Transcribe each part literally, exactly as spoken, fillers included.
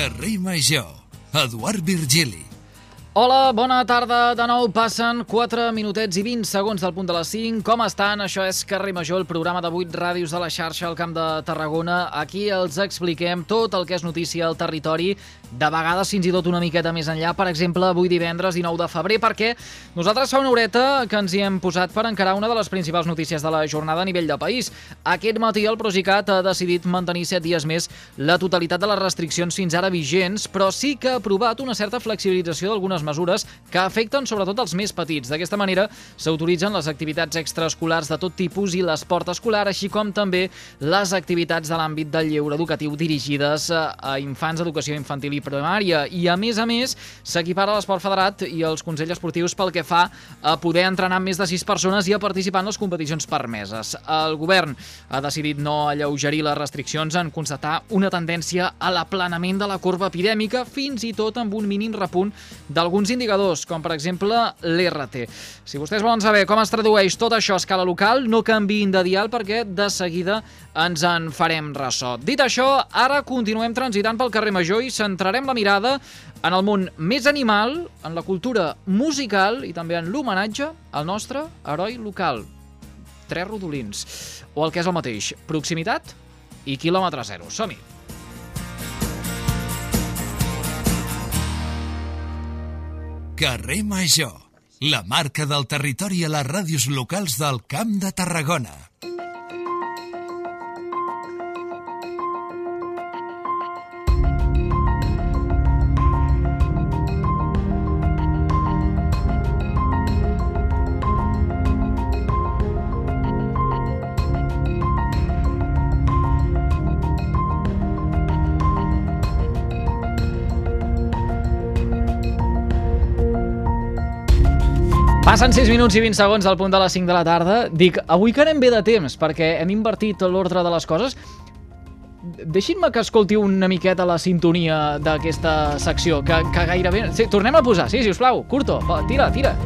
Carrer Major, Eduard Virgili. Hola, bona tarda. De nou passen quatre minutets i vint segons del punt de les cinc. Com estan? Això és Carrer Major, el programa de vuit ràdios de la xarxa al Camp de Tarragona. Aquí els expliquem tot el que és notícia al territori, de vegades fins i tot una miqueta més enllà. Per exemple, avui divendres dinou de febrer, perquè nosaltres fa una horeta que ens hi hem posat per encarar una de les principals notícies de la jornada a nivell de país. Aquest matí el Procicat ha decidit mantenir set dies més la totalitat de les restriccions fins ara vigents, però sí que ha aprovat una certa flexibilització d'algunes mesures que afecten sobretot els més petits. D'aquesta manera s'autoritzen les activitats extraescolars de tot tipus i l'esport escolar, així com també les activitats de l'àmbit del lleure educatiu dirigides a infants, educació infantil i primària. I a més a més s'equipara l'esport federat i els consells esportius pel que fa a poder entrenar amb més de sis persones i a participar en les competicions permeses. El govern ha decidit no alleugerir les restriccions en constatar una tendència a l'aplanament de la corba epidèmica, fins i tot amb un mínim repunt d'alguns indicadors, com per exemple l'R T. Si vostès volen saber com es tradueix tot això a escala local, no canviïn de dial perquè de seguida ens en farem ressò. Dit això, ara continuem transitant pel carrer Major i centrarem la mirada en el món més animal, en la cultura musical i també en l'homenatge al nostre heroi local. Tres rodolins. O el que és el mateix, proximitat i quilòmetre zero. Som-hi! Carrer Major, la marca del territori a les ràdios locals del Camp de Tarragona. Passen sis minuts i vint segons del punt de les cinc de la tarda. Dic, avui que anem bé de temps, perquè hem invertit l'ordre de les coses. Deixin-me que escolti una miqueta la sintonia d'aquesta secció, que, que gairebé... Sí, tornem a posar, sí, sisplau. Curto, va, tira, tira.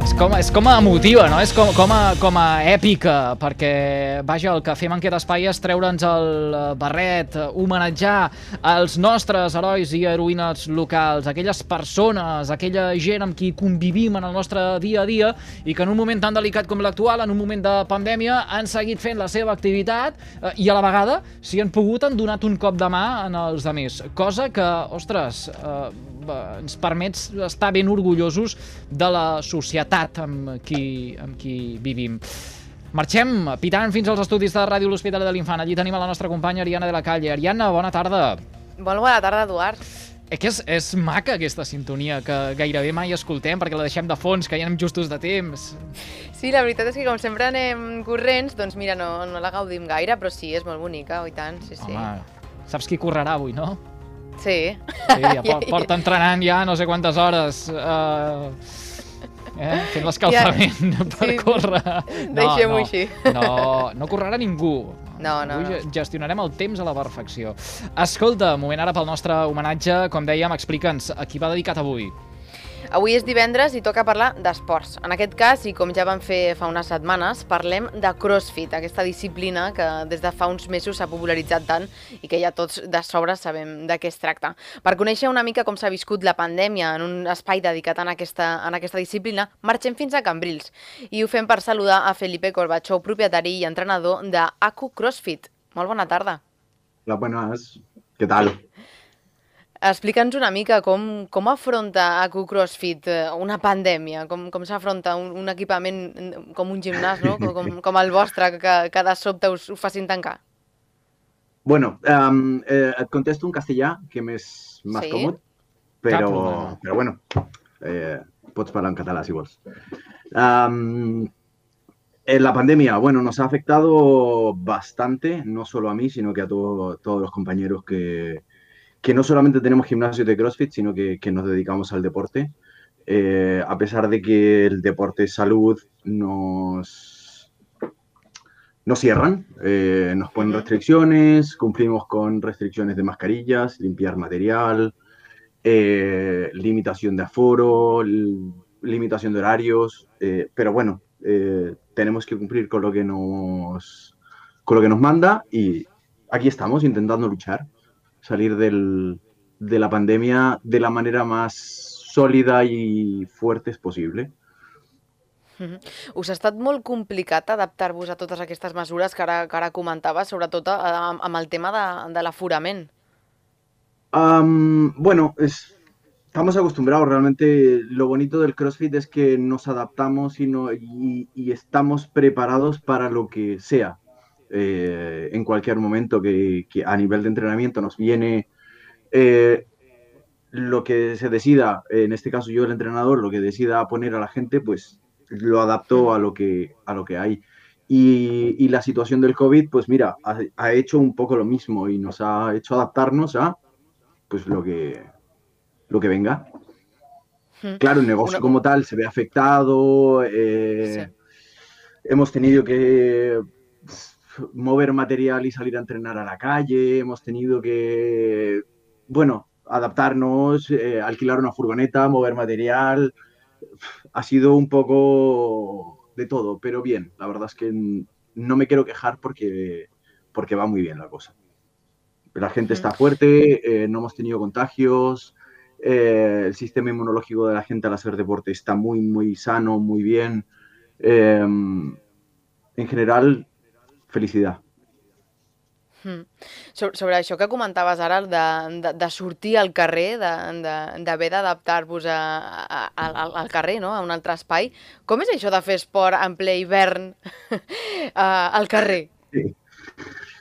És com, és com a emotiva, no? És com, com, a, com a èpica, perquè, vaja, el que fem en aquest espai és treure'ns el barret, homenatjar els nostres herois i heroïnes locals, aquelles persones, aquella gent amb qui convivim en el nostre dia a dia i que en un moment tan delicat com l'actual, en un moment de pandèmia, han seguit fent la seva activitat eh, i a la vegada, si han pogut, han donat un cop de mà en els altres. Cosa que, ostres, eh, ens permet estar ben orgullosos de la societat amb qui, amb qui vivim. Marxem pitant fins als estudis de Ràdio L'Hospitalet de l'Infant. Allí tenim a la nostra companya Ariana de la Calle. Ariana, bona tarda. Molt bona tarda, Eduard. Eh que és, és maca aquesta sintonia, que gairebé mai escoltem perquè la deixem de fons, que ja anem justos de temps. Sí, la veritat és que com sempre anem corrents, doncs mira, no, no la gaudim gaire, però sí, és molt bonica, oi tant, sí, sí. Home, saps qui correrà avui, no? Sí. Sí, ja por, porta entrenant ja no sé quantes hores, uh, eh, fent l'escalfament ja, per sí, córrer. No, deixem-ho no, així. No, no correrà ningú. No, no, Avui no. gestionarem el temps a la perfecció. Escolta, moment ara pel nostre homenatge, com dèiem, explica'ns a qui va dedicat avui. Avui és divendres i toca parlar d'esports. En aquest cas, i com ja vam fer fa unes setmanes, parlem de CrossFit, aquesta disciplina que des de fa uns mesos s'ha popularitzat tant i que ja tots de sobre sabem de què es tracta. Per conèixer una mica com s'ha viscut la pandèmia en un espai dedicat en aquesta, en aquesta disciplina, marxem fins a Cambrils i ho fem per saludar a Felipe Corbacho, propietari i entrenador de A Q CrossFit. Molt bona tarda. Hola, buenas. ¿Qué tal? Explica'ns una mica com, com afronta A Q CrossFit una pandèmia, com, com s'afronta un, un equipament com un gimnàs, no? com, com el vostre, que, que de sobte us ho facin tancar. Bueno, um, eh, et contesto en castellà, que m'és més Sí? còmode, però, però bueno, eh, pots parlar en català si vols. Um, eh, la pandemia, bueno, nos ha afectado bastante, no solo a mí, sino que a todo, todos los compañeros que, que no solamente tenemos gimnasios de CrossFit, sino que, que nos dedicamos al deporte. Eh, a pesar de que el deporte es salud, nos, nos cierran, eh, nos ponen Ujú. restricciones, cumplimos con restricciones de mascarillas, limpiar material, eh, limitación de aforo, l- limitación de horarios, eh, pero bueno, eh, tenemos que cumplir con lo que nos, con lo que nos manda y, aquí estamos intentando luchar, salir del, de la pandemia de la manera más sòlida i fuerte possible. Mm-hmm. Us ha estat molt complicat adaptar-vos a totes aquestes mesures que ara, que ara comentaves, sobretot amb, amb el tema de, de l'aforament? Um, bueno, es, estamos acostumbrados. Realmente lo bonito del CrossFit es que nos adaptamos y, no, y, y estamos preparados para lo que sea. Eh, en cualquier momento que, que a nivel de entrenamiento nos viene eh, lo que se decida, en este caso yo el entrenador, lo que decida poner a la gente, pues lo adapto a lo que, a lo que hay. Y, y la situación del COVID, pues mira, ha, ha hecho un poco lo mismo y nos ha hecho adaptarnos a pues lo que, lo que venga. Claro, el negocio como tal se ve afectado, eh, sí. Hemos tenido que mover material y salir a entrenar a la calle, hemos tenido que, bueno, adaptarnos, eh, alquilar una furgoneta, mover material. Ha sido un poco de todo, pero bien. La verdad es que no me quiero quejar porque, porque va muy bien la cosa. La gente está fuerte, eh, no hemos tenido contagios, eh, el sistema inmunológico de la gente al hacer deporte está muy, muy sano, muy bien. Eh, en general, felicidad. Mm. Sobre, sobre això que comentaves ara, de, de, de sortir al carrer, d'haver d'adaptar-vos al carrer, no? A un altre espai, com és això de fer esport en ple hivern al carrer? Sí.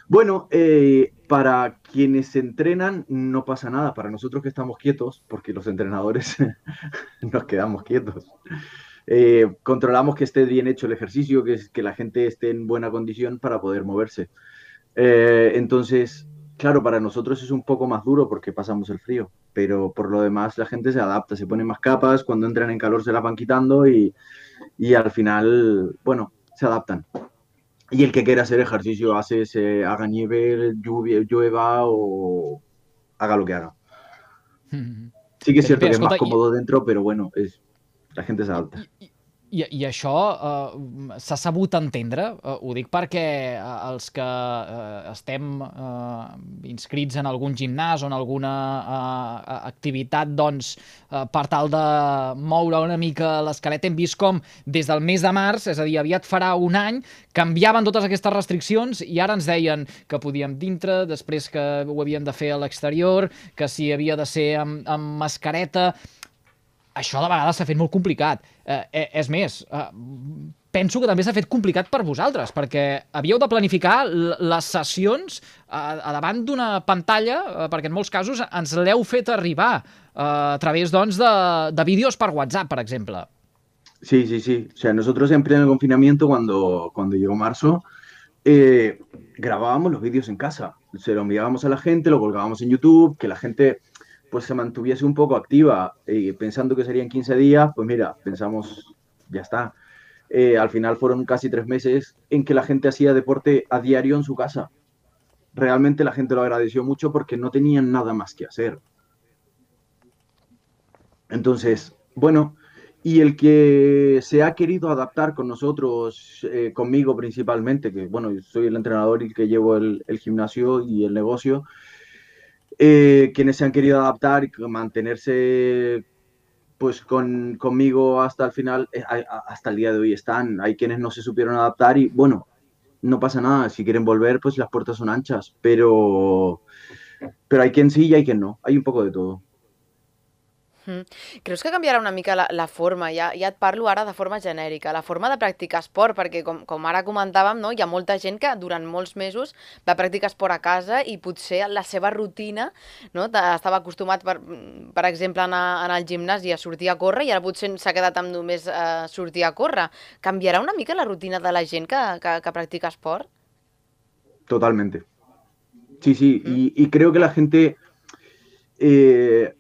Bueno, eh, para quienes se entrenan no pasa nada, para nosotros que estamos quietos, porque los entrenadores nos quedamos quietos. Eh, controlamos que esté bien hecho el ejercicio, que, que la gente esté en buena condición para poder moverse. Eh, entonces, claro, para nosotros es un poco más duro porque pasamos el frío, pero por lo demás la gente se adapta, se pone más capas, cuando entran en calor se las van quitando y, y al final, bueno, se adaptan. Y el que quiera hacer ejercicio hace, se haga nieve, lluvia, llueva o haga lo que haga. Sí que es cierto que es más cómodo dentro, pero bueno, es, la gente se adapta. I, i això uh, s'ha sabut entendre, uh, ho dic perquè uh, els que uh, estem uh, inscrits en algun gimnàs o en alguna uh, activitat doncs, uh, per tal de moure una mica l'esquelet, hem vist com des del mes de març, és a dir, aviat farà un any, canviaven totes aquestes restriccions i ara ens deien que podíem dintre, després que ho havíem de fer a l'exterior, que si havia de ser amb, amb mascareta. Això de vegades s'ha fet molt complicat. Eh, és més, eh, penso que també s'ha fet complicat per vosaltres, perquè havíeu de planificar les sessions a, a davant d'una pantalla, eh, perquè en molts casos ens l'heu fet arribar eh, a través doncs, de, de vídeos per WhatsApp, per exemple. Sí, sí, sí. O sea, nosotros en pleno confinamiento, cuando, cuando llegó marzo, eh, grabábamos los vídeos en casa. Se lo enviábamos a la gente, lo colgábamos en YouTube, que la gente pues se mantuviese un poco activa, eh, pensando que serían quince días, pues mira, pensamos, ya está. Eh, al final fueron casi tres meses en que la gente hacía deporte a diario en su casa. Realmente la gente lo agradeció mucho porque no tenían nada más que hacer. Entonces, bueno, y el que se ha querido adaptar con nosotros, eh, conmigo principalmente, que bueno, soy el entrenador y que llevo el, el gimnasio y el negocio, Eh, quienes se han querido adaptar y mantenerse pues con, conmigo hasta el final, eh, hasta el día de hoy están. Hay quienes no se supieron adaptar y bueno, no pasa nada. Si quieren volver, pues las puertas son anchas, pero, pero hay quien sí y hay quien no. Hay un poco de todo. Mm. Creus que canviarà una mica la, la forma, ja, ja et parlo ara de forma genèrica, la forma de practicar esport, perquè com, com ara comentàvem, no, hi ha molta gent que durant molts mesos va practicar esport a casa i potser la seva rutina, no, estava acostumat, per, per exemple, a anar, anar al gimnàs i a sortir a córrer i ara potser s'ha quedat amb només eh, sortir a córrer. Canviarà una mica la rutina de la gent que, que, que practica esport? Totalmente. Sí, sí, mm. y, y creo que la gente... Eh,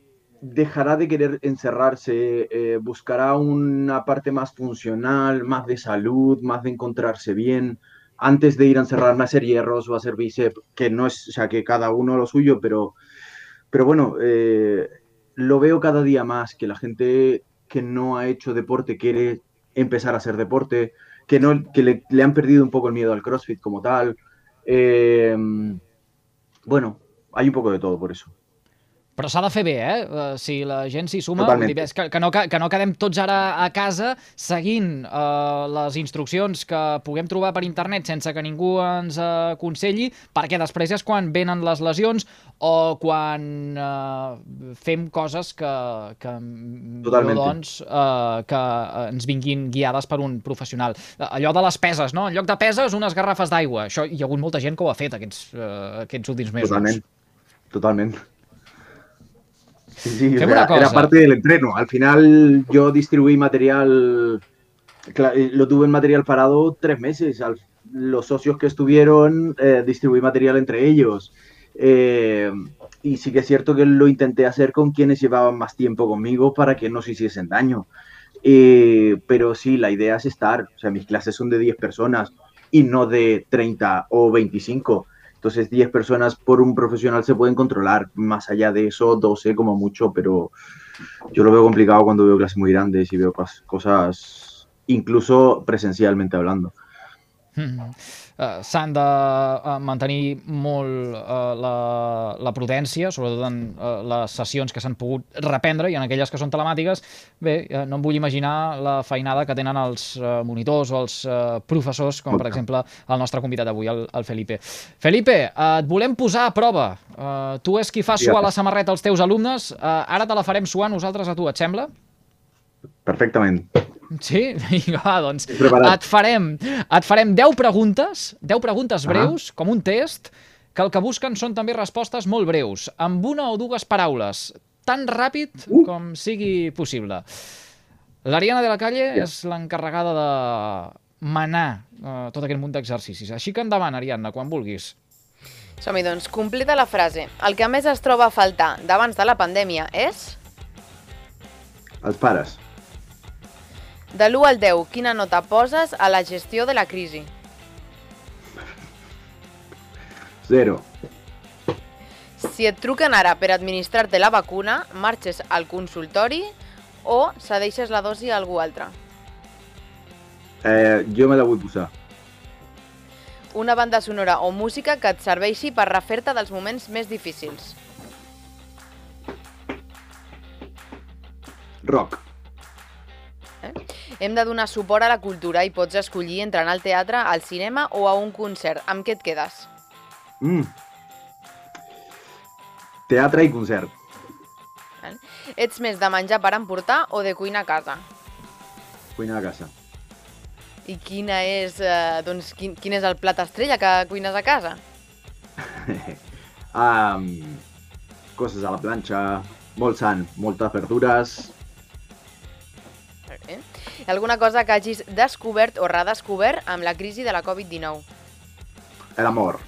dejará de querer encerrarse, eh, buscará una parte más funcional, más de salud, más de encontrarse bien, antes de ir a encerrarme a hacer hierros o a hacer bíceps, que no es, o sea, que cada uno lo suyo, pero, pero bueno, eh, lo veo cada día más, que la gente que no ha hecho deporte quiere empezar a hacer deporte, que, no, que le, le han perdido un poco el miedo al CrossFit como tal. Eh, Bueno, hay un poco de todo por eso. Però s'ha de fer bé, eh? Uh, si la gent s'hi suma, Totalment. dir, que, que, no, que no quedem tots ara a casa seguint uh, les instruccions que puguem trobar per internet sense que ningú ens uh, aconselli, perquè després és quan venen les lesions o quan uh, fem coses que, que Totalment. doncs, uh, que ens vinguin guiades per un professional. Uh, allò de les peses, no? En lloc de peses, unes garrafes d'aigua. Això hi ha hagut molta gent que ho ha fet aquests, uh, aquests últims mesos. Totalment, totalment. Sí, sí, Fem o sea, una cosa. era parte del entreno. Al final yo distribuí material, lo tuve en material parado tres meses. Al, los socios que estuvieron, eh, distribuí material entre ellos. Eh, y sí que es cierto que lo intenté hacer con quienes llevaban más tiempo conmigo para que no se hiciesen daño. Eh, pero sí, la idea es estar. O sea, mis clases son de diez personas y no de treinta o veinticinco. Entonces, diez personas por un profesional se pueden controlar. Más allá de eso, doce como mucho, pero yo lo veo complicado cuando veo clases muy grandes y veo cosas, incluso presencialmente hablando. Mm-hmm. Uh, s'han de uh, mantenir molt uh, la, la prudència, sobretot en uh, les sessions que s'han pogut reprendre i en aquelles que són telemàtiques. Bé, uh, no em vull imaginar la feinada que tenen els uh, monitors o els uh, professors, com per exemple el nostre convidat avui, el, el Felipe. Felipe, uh, et volem posar a prova. Uh, tu és qui fa suar la samarreta als teus alumnes. Uh, ara te la farem suar nosaltres a tu, et sembla? Perfectament. Sí? Vinga, va, doncs et farem, et farem deu preguntes, deu preguntes breus, ah. com un test, que el que busquen són també respostes molt breus, amb una o dues paraules, tan ràpid uh. com sigui possible. L'Ariana de la Calle yeah. és l'encarregada de manar uh, tot aquest munt d'exercicis. Així que endavant, Ariadna, quan vulguis. Som-hi, doncs, completa la frase. El que més es troba a faltar d'abans de la pandèmia és... Els pares. De l'u al deu, quina nota poses a la gestió de la crisi? Zero. Si et truquen ara per administrar-te la vacuna, marxes al consultori o cedeixes la dosi a algú altre? Eh, jo me la vull posar. Una banda sonora o música que et serveixi per refer-te dels moments més difícils. Rock. Eh? Hem de donar suport a la cultura i pots escollir entre anar al teatre, al cinema o a un concert. Amb què et quedes? Mm. Teatre i concert. Eh? Ets més de menjar per emportar o de cuinar a casa? Cuinar a casa. I quina és, eh, doncs, quin, quin és el plat estrella que cuines a casa? um, coses a la planxa, molt sant, moltes verdures... Eh? Alguna cosa que hagis descobert o redescobert amb la crisi de la covid dinou? L'amor.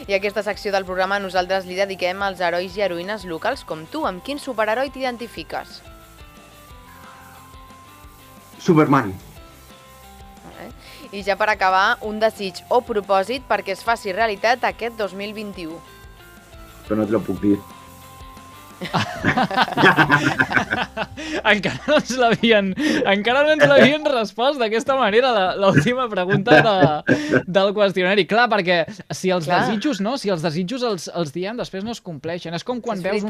I aquesta secció del programa nosaltres li dediquem als herois i heroïnes locals com tu. Amb quin superheroi t'identifiques? Superman. Eh? I ja per acabar, un desig o propòsit perquè es faci realitat aquest dos mil vint-i-u. Però no te lo puc dir. encara no ens l'havien encara no ens l'havien respost d'aquesta manera l'última pregunta de, del qüestionari. Clar, perquè si els Clar. desitjos no, si els desitjos els, els diem, després no es compleixen. És com quan és veus un,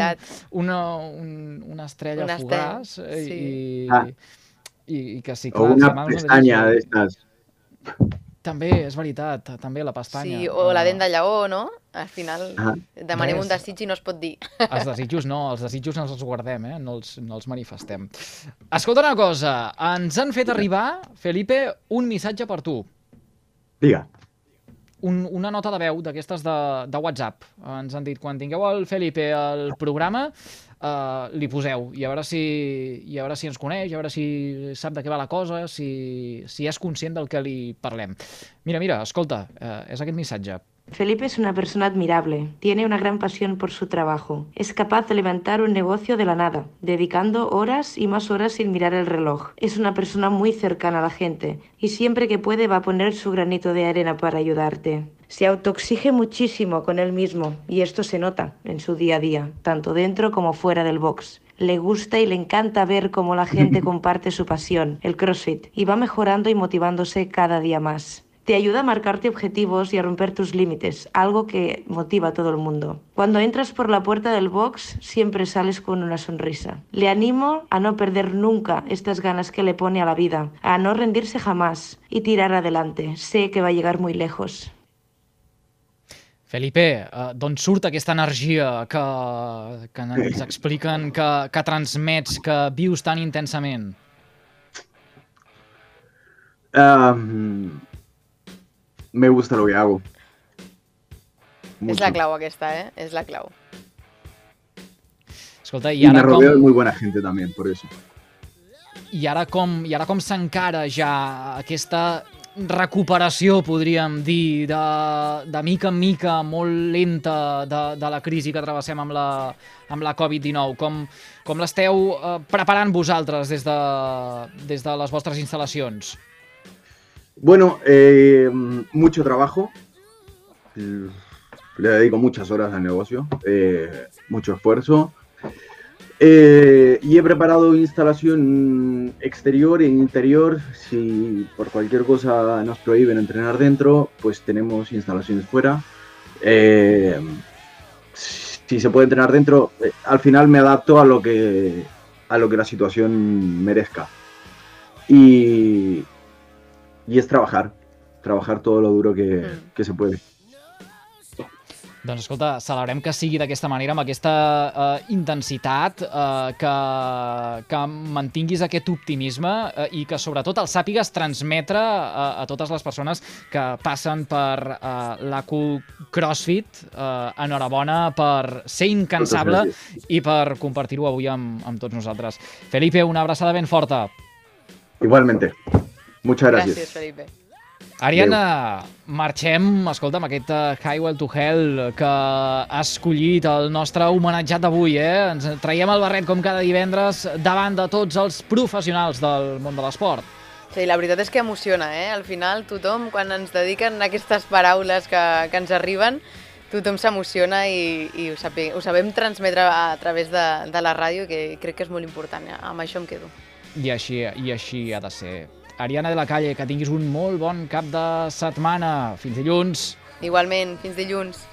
una, un, una estrella una fugaç sí. i, ah. i, i que sí, clar, o una pestanya d'estes. També, és veritat, també la pestanya. Sí, o la dent de lleó, no? Al final ah. demanem Res. un desig i no es pot dir. Els desitjos no, els desitjos no els guardem, eh? no, els, no els manifestem. Escolta una cosa, ens han fet arribar, Felipe, un missatge per tu. Diga. Un, una nota de veu d'aquestes de, de WhatsApp. Ens han dit, quan tingueu el Felipe al programa, uh, li poseu, i a veure si, i a veure si ens coneix, a veure si sap de què va la cosa, si, si és conscient del que li parlem. Mira, mira, escolta, uh, és aquest missatge. Felipe es una persona admirable, tiene una gran pasión por su trabajo. Es capaz de levantar un negocio de la nada, dedicando horas y más horas sin mirar el reloj. Es una persona muy cercana a la gente y siempre que puede va a poner su granito de arena para ayudarte. Se autoexige muchísimo con él mismo y esto se nota en su día a día, tanto dentro como fuera del box. Le gusta y le encanta ver cómo la gente comparte su pasión, el CrossFit, y va mejorando y motivándose cada día más. Te ayuda a marcarte objetivos y a romper tus límites, algo que motiva a todo el mundo. Cuando entras por la puerta del box, siempre sales con una sonrisa. Le animo a no perder nunca estas ganas que le pone a la vida, a no rendirse jamás y tirar adelante. Sé que va a llegar muy lejos. Felipe, uh, d'on surt aquesta energia que, que ens expliquen, que, que transmets, que vius tan intensament? Um, me gusta lo que hago. Mucho. És la clau aquesta, eh? És la clau. Escolta, i y ara me rodeo com... de muy buena gente también, por eso. I ara com, i ara com s'encara ja aquesta recuperació, podríem dir, de, de mica en mica, molt lenta, de, de la crisi que travessem amb la, amb la covid dinou? Com, com l'esteu eh, preparant vosaltres des de, des de les vostres instal·lacions? Bueno, eh, mucho trabajo. Le dedico muchas horas al negocio, eh, mucho esfuerzo. Eh, y he preparado instalación exterior e interior. Si por cualquier cosa nos prohíben entrenar dentro, pues tenemos instalaciones fuera. Eh, si se puede entrenar dentro, eh, al final me adapto a lo que, a lo que la situación merezca. Y, y es trabajar, trabajar todo lo duro que, que se puede. Doncs escolta, celebrem que sigui d'aquesta manera, amb aquesta uh, intensitat, uh, que, que mantinguis aquest optimisme uh, i que sobretot el sàpigues transmetre uh, a totes les persones que passen per uh, l'A Q CrossFit. Uh, enhorabona per ser incansable i per compartir-ho avui amb, amb tots nosaltres. Felipe, una abraçada ben forta. Igualmente. Muchas gracias. Gràcies, Felipe. Ariana, marxem, escolta, amb aquest Highway to Hell que ha escollit el nostre homenatjat d'avui, eh? Ens traiem el barret com cada divendres davant de tots els professionals del món de l'esport. Sí, la veritat és que emociona, eh? Al final tothom, quan ens dediquen aquestes paraules que, que ens arriben, tothom s'emociona i, i ho, sabe, ho sabem transmetre a través de, de la ràdio, que crec que és molt important, eh? Amb això em quedo. I així, i així ha de ser. Ariana de la Calle, que tinguis un molt bon cap de setmana. Fins dilluns. Igualment, fins dilluns.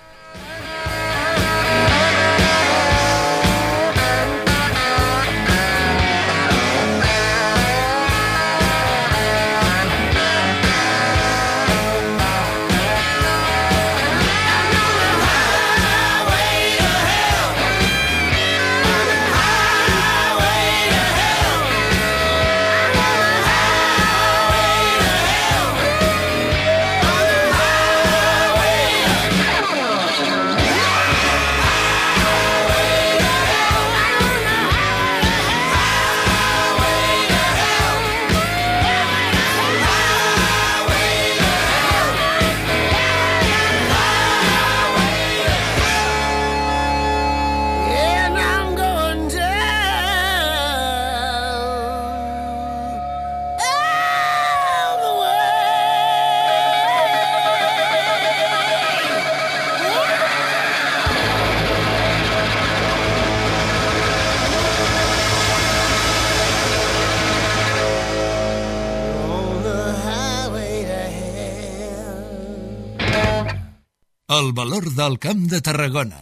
El valor del Camp de Tarragona.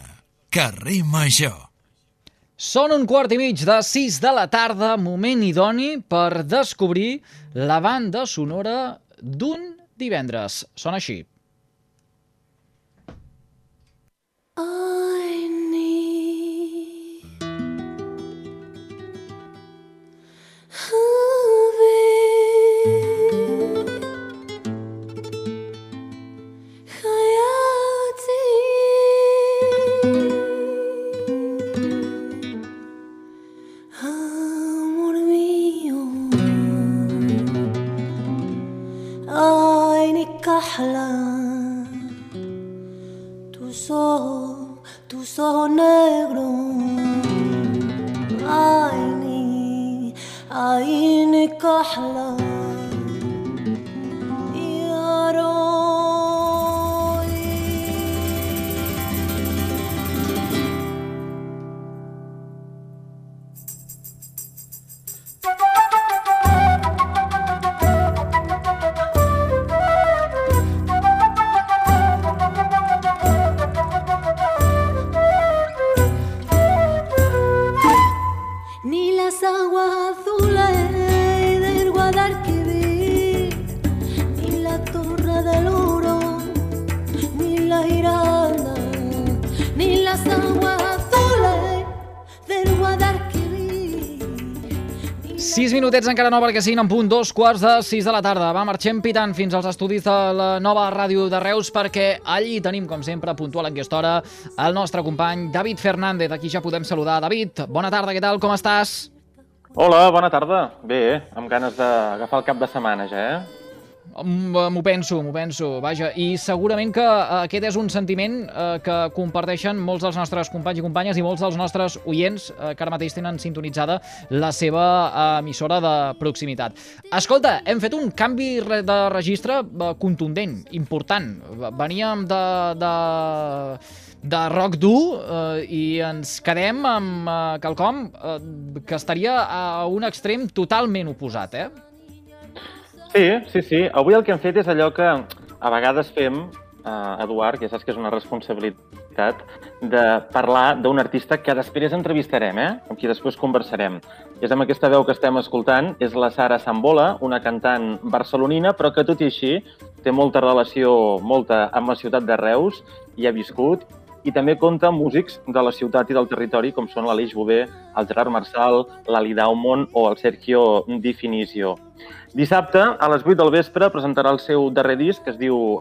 Carrer Major. Són un quart i mig de sis de la tarda, moment idoni per descobrir la banda sonora d'un divendres. Sona així. I need tus ojos, tus ojos negros. عيني عيني كحلة يا روي. Sis minutets encara no, perquè siguin en punt dos quarts de sis de la tarda. Va, marxem pitant fins als estudis de la nova ràdio de Reus, perquè allí tenim, com sempre, puntual en aquesta hora, el nostre company David Fernández. Aquí ja podem saludar. David, bona tarda, què tal, com estàs? Hola, bona tarda. Bé, amb ganes d'agafar el cap de setmana ja, eh? M'ho penso, m'ho penso, vaja, i segurament que aquest és un sentiment eh, que comparteixen molts dels nostres companys i companyes i molts dels nostres oients eh, que ara mateix tenen sintonitzada la seva eh, emissora de proximitat. Escolta, hem fet un canvi de registre eh, contundent, important. Veníem de... de de rock dur eh, i ens quedem amb eh, quelcom eh, que estaria a un extrem totalment oposat, eh? Sí, sí, sí. Avui el que hem fet és allò que a vegades fem, eh, Eduard, que ja saps que és una responsabilitat, de parlar d'un artista que després entrevistarem, eh? Amb qui després conversarem. I és amb aquesta veu que estem escoltant, és la Sara Sambola, una cantant barcelonina, però que tot i així té molta relació molta amb la ciutat de Reus, hi ha viscut, i també compta amb músics de la ciutat i del territori, com són l'Aleix Bové, el Gerard Marçal, l'Ali Daumon o el Sergio Di Finizio. Dissabte, a les vuit del vespre, presentarà el seu darrer disc, que es diu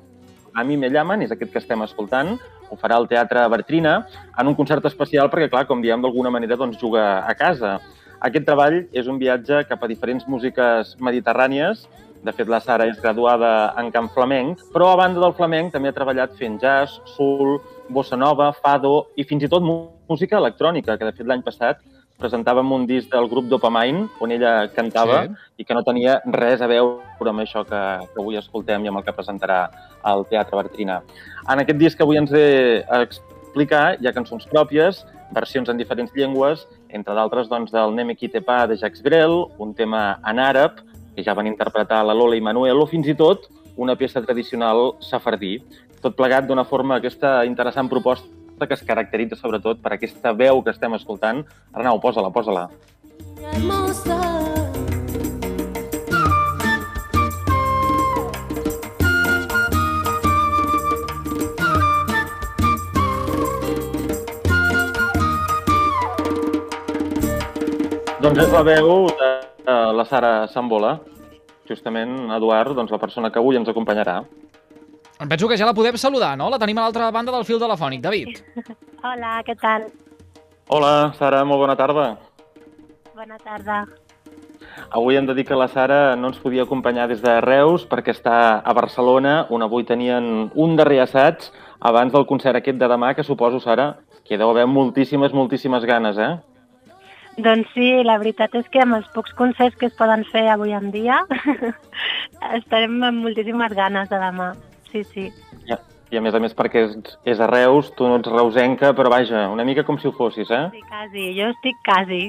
A mi me llaman, és aquest que estem escoltant. Ho farà al Teatre Bartrina, en un concert especial, perquè, clar, com diem, d'alguna manera, doncs, juga a casa. Aquest treball és un viatge cap a diferents músiques mediterrànies. De fet, la Sara és graduada en cant flamenc, però a banda del flamenc també ha treballat fent jazz, soul, bossa nova, fado i fins i tot música electrònica, que de fet l'any passat presentàvem un disc del grup Dopamine, on ella cantava, sí, i que no tenia res a veure amb això que, que avui escoltem i amb el que presentarà al Teatre Bartrina. En aquest disc que avui ens ve a explicar hi ha cançons pròpies, versions en diferents llengües, entre d'altres doncs, del Neme Qui te pa de Jacques Brel, un tema en àrab, que ja van interpretar la Lola i Manuel, o fins i tot una peça tradicional safardí. Tot plegat d'una forma aquesta interessant proposta que es caracteritza sobretot per aquesta veu que estem escoltant. Arnau, posa-la, posa-la. Doncs és la veu de la Sara Sambola, justament, Eduard, doncs la persona que avui ens acompanyarà. Em penso que ja la podem saludar, no? La tenim a l'altra banda del fil telefònic. David. Hola, què tal? Hola, Sara, molt bona tarda. Bona tarda. Avui hem de dir que la Sara no ens podia acompanyar des de Reus perquè està a Barcelona, on avui tenien un darrer assaig abans del concert aquest de demà, que suposo, Sara, que hi deu haver moltíssimes, moltíssimes ganes, eh? Doncs sí, la veritat és que amb els pocs concerts que es poden fer avui en dia estarem amb moltíssimes ganes de demà. Sí, sí. Ja. I a més a més perquè és, és a Reus, tu no ets reusenca, però vaja, una mica com si ho fossis, eh? Sí, quasi, jo estic quasi.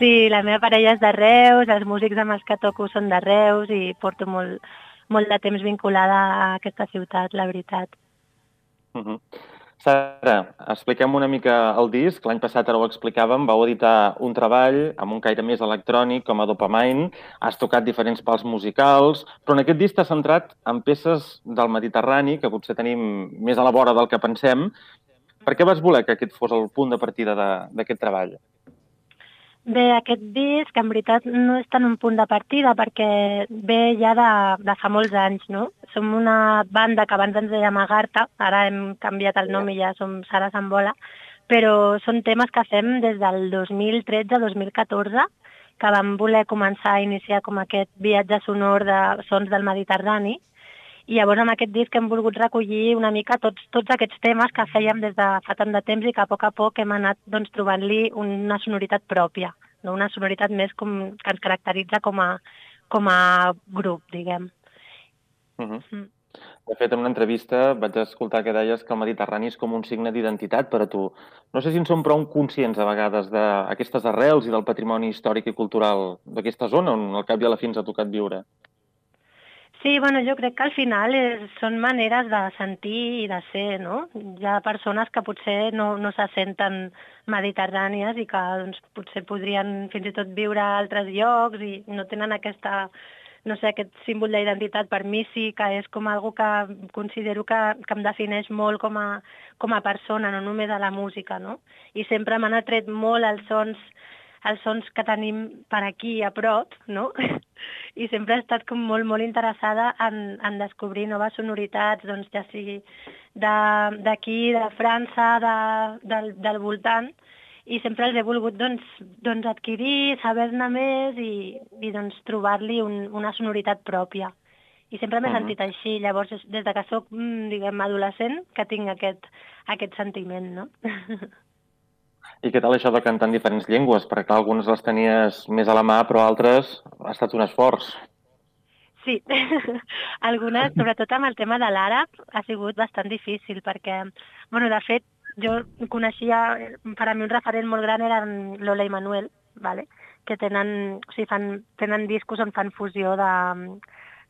Sí, la meva parella és de Reus, els músics amb els que toco són de Reus i porto molt, molt de temps vinculada a aquesta ciutat, la veritat. Uh-huh. Sara, expliquem una mica el disc. L'any passat ara ho explicàvem, vau editar un treball amb un caire més electrònic com a Dopamine, has tocat diferents pals musicals, però en aquest disc t'has centrat en peces del Mediterrani, que potser tenim més a la vora del que pensem. Per què vas voler que aquest fos el punt de partida d'aquest treball? Bé, aquest disc en veritat no és tant un punt de partida perquè ve ja de, de fa molts anys, no? Som una banda que abans ens dèiem Agartha, ara hem canviat el nom i ja som Sara Sambola, però són temes que fem des del dos mil tretze dos mil catorze, que vam voler començar a iniciar com aquest viatge sonor de sons del Mediterrani. I llavors amb aquest disc hem volgut recollir una mica tots, tots aquests temes que fèiem des de fa tant de temps i que a poc a poc hem anat doncs, trobant-li una sonoritat pròpia, no? Una sonoritat més com, que ens caracteritza com a, com a grup, diguem. Uh-huh. Mm. De fet, en una entrevista vaig escoltar que deies que el Mediterrani és com un signe d'identitat per a tu. No sé si en som prou conscients a vegades d'aquestes arrels i del patrimoni històric i cultural d'aquesta zona on al cap i a la fi ens ha tocat viure. Sí, bueno, jo crec que al final és, són maneres de sentir i de ser, no? Hi ha persones que potser no, no se senten mediterrànies i que doncs, potser podrien fins i tot viure a altres llocs i no tenen aquesta, no sé, aquest símbol d'identitat. Per mi sí que és com algo que considero que, que em defineix molt com a, com a persona, no només a la música, no? I sempre m'han atret molt els sons els sons que tenim per aquí a prop, no? I sempre he estat com molt, molt interessada en, en descobrir noves sonoritats, doncs ja sigui d'aquí, de, de França, de, del, del voltant, i sempre els he volgut doncs, doncs adquirir, saber-ne més i, i doncs, trobar-li un, una sonoritat pròpia. I sempre m'he uh -huh. sentit així, llavors des de que soc, diguem, adolescent, que tinc aquest, aquest sentiment, no? I què tal això de cantar en diferents llengües? Perquè algunes les tenies més a la mà, però altres ha estat un esforç. Sí, algunes, sobretot amb el tema de l'àrab, ha sigut bastant difícil, perquè, bueno, de fet, jo coneixia, per a mi un referent molt gran eren Lola i Manuel, vale? Que tenen, o sigui, fan, tenen discos on fan fusió de,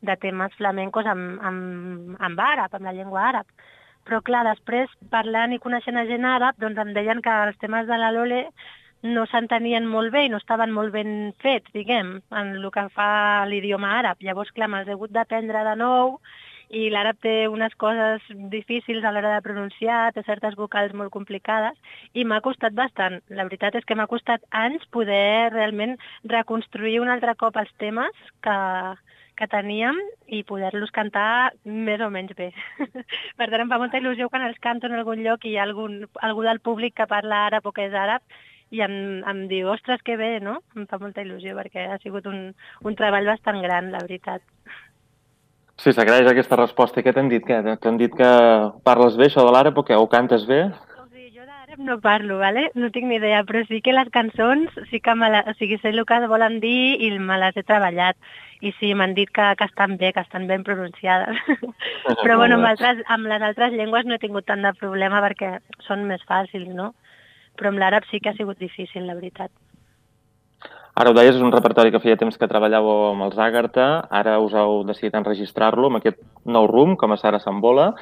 de temes flamencos amb, amb, amb àrab, amb la llengua àrab. Però clar, després, parlant i coneixent a gent àrab, doncs em deien que els temes de la Lole no s'entenien molt bé i no estaven molt ben fets, diguem, en el que fa l'idioma àrab. Llavors, clar, me'ls he hagut d'aprendre de nou i l'àrab té unes coses difícils a l'hora de pronunciar, té certes vocals molt complicades i m'ha costat bastant. La veritat és que m'ha costat anys poder realment reconstruir un altre cop els temes que, que teníem i poder-los cantar més o menys bé. Per tant, em fa molta il·lusió quan els canto en algun lloc i hi ha algun, algú del públic que parla àrab o que és àrab i em, em diu, ostres, que bé, no? Em fa molta il·lusió perquè ha sigut un, un treball bastant gran, la veritat. Sí, s'agraeix aquesta resposta. I què t'han dit? Què? T'han dit que parles bé, això de l'àrab, o què? O cantes bé? O sigui, jo d'àrab no parlo, ¿vale? No tinc ni idea, però sí que les cançons sí que me la, o sigui, sé el que volen dir i me les he treballat. I sí, m'han dit que, que estan bé, que estan ben pronunciades. Però bueno, amb, altres, amb les altres llengües no he tingut tant de problema perquè són més fàcils, no? Però amb l'àrab sí que ha sigut difícil, la veritat. Ara ho deies, és un repertori que feia temps que treballàveu amb els Àgata, ara us heu decidit enregistrar-lo amb aquest nou rumb, com a Sara Sambola,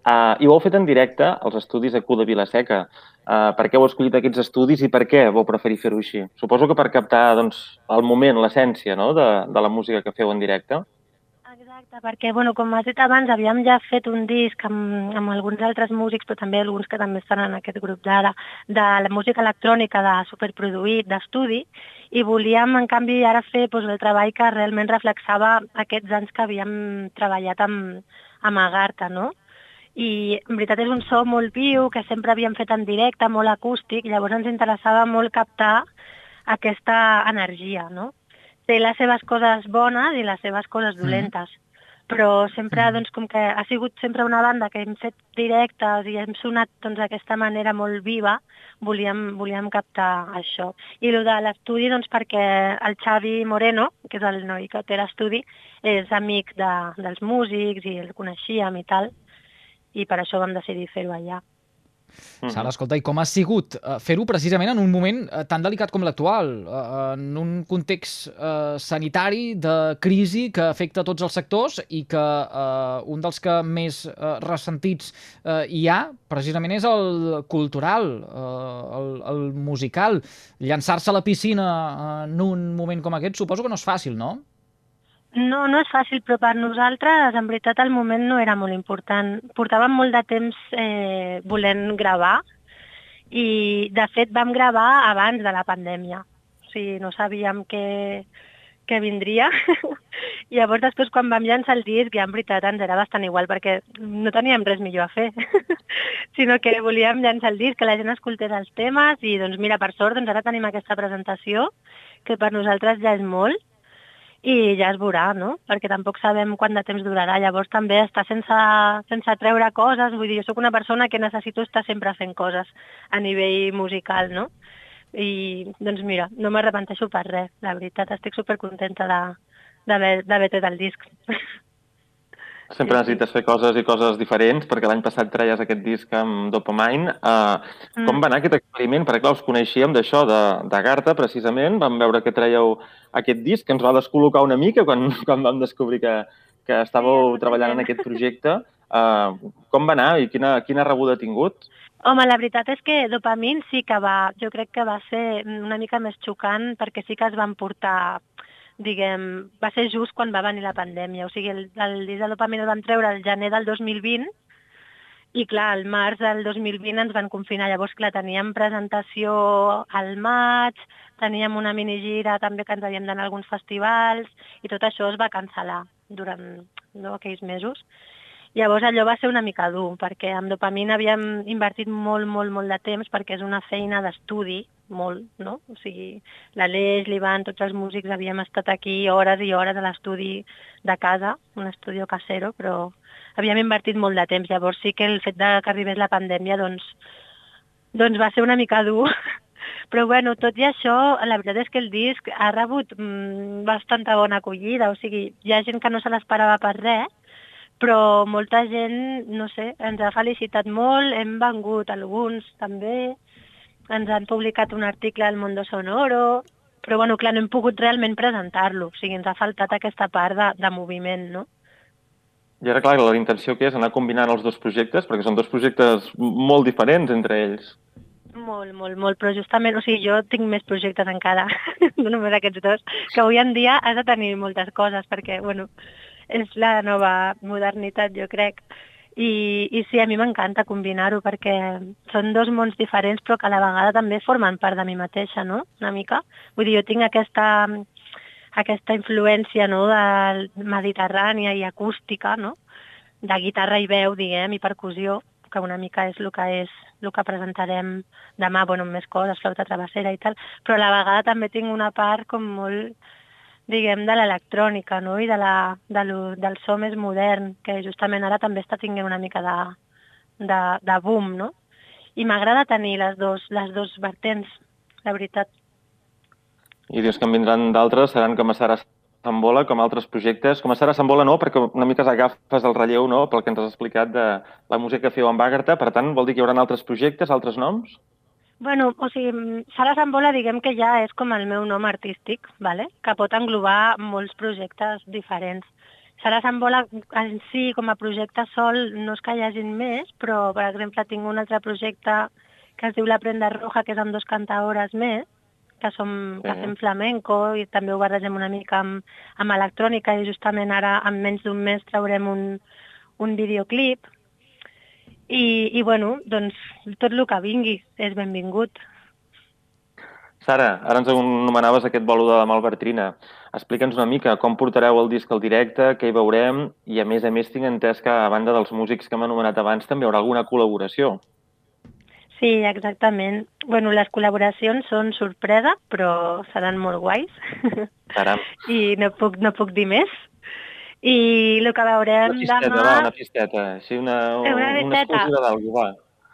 uh, i ho heu fet en directe als estudis A Q de Vilaseca. Uh, per què heu escollit aquests estudis i per què vau preferir fer-ho així? Suposo que per captar doncs, el moment, l'essència, no?, de, de la música que feu en directe. Exacte, perquè, bueno, com has dit abans, havíem ja fet un disc amb, amb alguns altres músics, però també alguns que també estan en aquest grup d'ara, de la música electrònica, de superproduït, d'estudi, i volíem, en canvi, ara fer doncs, el treball que realment reflexava aquests anys que havíem treballat amb, amb Agartha, no? I, en veritat, és un so molt viu, que sempre havíem fet en directe, molt acústic, llavors ens interessava molt captar aquesta energia, no? Té les seves coses bones i les seves coses dolentes, mm. però sempre, doncs, com que ha sigut sempre una banda que hem fet directes i hem sonat doncs, d'aquesta manera molt viva, volíem, volíem captar això. I el de l'estudi, doncs, perquè el Xavi Moreno, que és el noi que té l'estudi, és amic de, dels músics i el coneixíem i tal, i per això vam decidir fer-ho allà. Sara, escolta, i com ha sigut fer-ho precisament en un moment tan delicat com l'actual, en un context eh, sanitari de crisi que afecta tots els sectors i que eh, un dels que més eh, ressentits eh, hi ha precisament és el cultural, eh, el, el musical. Llançar-se a la piscina en un moment com aquest suposo que no és fàcil, no? No, no és fàcil, però per nosaltres, en veritat, el moment no era molt important. Portàvem molt de temps eh, volent gravar i, de fet, vam gravar abans de la pandèmia. O sigui, no sabíem què, què vindria. I llavors, després, quan vam llançar el disc, ja en veritat ens era bastant igual, perquè no teníem res millor a fer, sinó que volíem llançar el disc, que la gent escoltés els temes i, doncs, mira, per sort, doncs ara tenim aquesta presentació, que per nosaltres ja és molt, i ja es veurà, no? Perquè tampoc sabem quant de temps durarà. Llavors també estar sense, sense treure coses, vull dir, jo soc una persona que necessito estar sempre fent coses a nivell musical, no? I, doncs mira, no m'arrepenteixo per res, la veritat, estic supercontenta d'haver tret el disc. Sempre necessites fer coses i coses diferents, perquè l'any passat treies aquest disc amb Dopamine. Uh, mm. Com va anar aquest experiment? Perquè, clar, us coneixíem d'això, d'Agartha, precisament. Vam veure que treieu aquest disc, que ens va descol·locar una mica quan, quan vam descobrir que, que estàveu sí, treballant en aquest projecte. Uh, com va anar i quina, quina rebuda ha tingut? Home, la veritat és que Dopamine sí que va, jo crec que va ser una mica més xocant, perquè sí que es van portar... diguem, va ser just quan va venir la pandèmia. O sigui, el, el disc de Dopamine el vam treure el gener del dos mil vint I clar, al març del dos mil vint ens van confinar. Llavors, clar, teníem presentació al maig, teníem una minigira també que ens havíem d'anar a alguns festivals i tot això es va cancel·lar durant no, aquells mesos. Llavors allò va ser una mica dur, perquè amb Dopamina havíem invertit molt, molt, molt de temps perquè és una feina d'estudi, molt, no? O sigui, l'Aleix, l'Ivan, tots els músics havíem estat aquí hores i hores a l'estudi de casa, un estudi casero, però havíem invertit molt de temps. Llavors sí que el fet de que arribés la pandèmia doncs, doncs va ser una mica dur. Però bueno, tot i això, la veritat és que el disc ha rebut mmm, bastanta bona acollida, o sigui, hi ha gent que no se l'esperava per res, però molta gent, no sé, ens ha felicitat molt, hem vengut alguns també, ens han publicat un article al Mundo Sonoro, però bueno, clar, no hem pogut realment presentar-lo, o sigui, ens ha faltat aquesta part de, de moviment, no? I ara, clar, la intenció que és anar combinant els dos projectes, perquè són dos projectes molt diferents entre ells. Molt, molt, molt, però justament, o sigui, jo tinc més projectes encara, no només aquests dos, que avui en dia has de tenir moltes coses, perquè, bueno, és la nova modernitat, jo crec. I, i sí, a mi m'encanta combinar-ho, perquè són dos mons diferents, però que a la vegada també formen part de mi mateixa, no?, una mica. Vull dir, jo tinc aquesta, aquesta influència, no?, de mediterrània i acústica, no?, de guitarra i veu, diguem, i percussió, que una mica és el que és el que presentarem demà, bueno, amb més coses, flauta travessera i tal, però a la vegada també tinc una part com molt, diguem, de l'electrònica, no?, i de la, de lo, del so més modern, que justament ara també està tinguent una mica de, de, de boom, no? I m'agrada tenir les dos, les dos vertents, la veritat. I dius que en vindran d'altres, seran com a Sara Sambola, com altres projectes. Com a Sara Sambola no, perquè una mica agafes el relleu, no?, pel que ens has explicat de la música que feu amb Àgata. Per tant, vol dir que hi haurà altres projectes, altres noms? Bueno, o sigui, Sara Sambola diguem que ja és com el meu nom artístic, ¿vale?, que pot englobar molts projectes diferents. Sara Sambola en si, com a projecte sol, no és que hi hagin més, però, per exemple, tinc un altre projecte que es diu La Prenda Roja, que és amb dos cantaores més, que, som, sí. que fem flamenco i també ho barregem una mica amb, amb electrònica i justament ara, en menys d'un mes, traurem un, un videoclip. I, i bueno, doncs tot el que vingui és benvingut. Sara, ara ens anomenaves aquest bolo de la Malbertrina. Explica'ns una mica com portareu el disc al directe, què hi veurem, i a més a més tinc entès que a banda dels músics que hem anomenat abans també hi haurà alguna col·laboració. Sí, exactament. Bueno, les col·laboracions són sorpresa, però seran molt guais. Caram. I no puc, no puc dir més. I el que veurem una fisteta, demà... Va, una fisteta, sí, una, una, una exclusiva d'algú, va.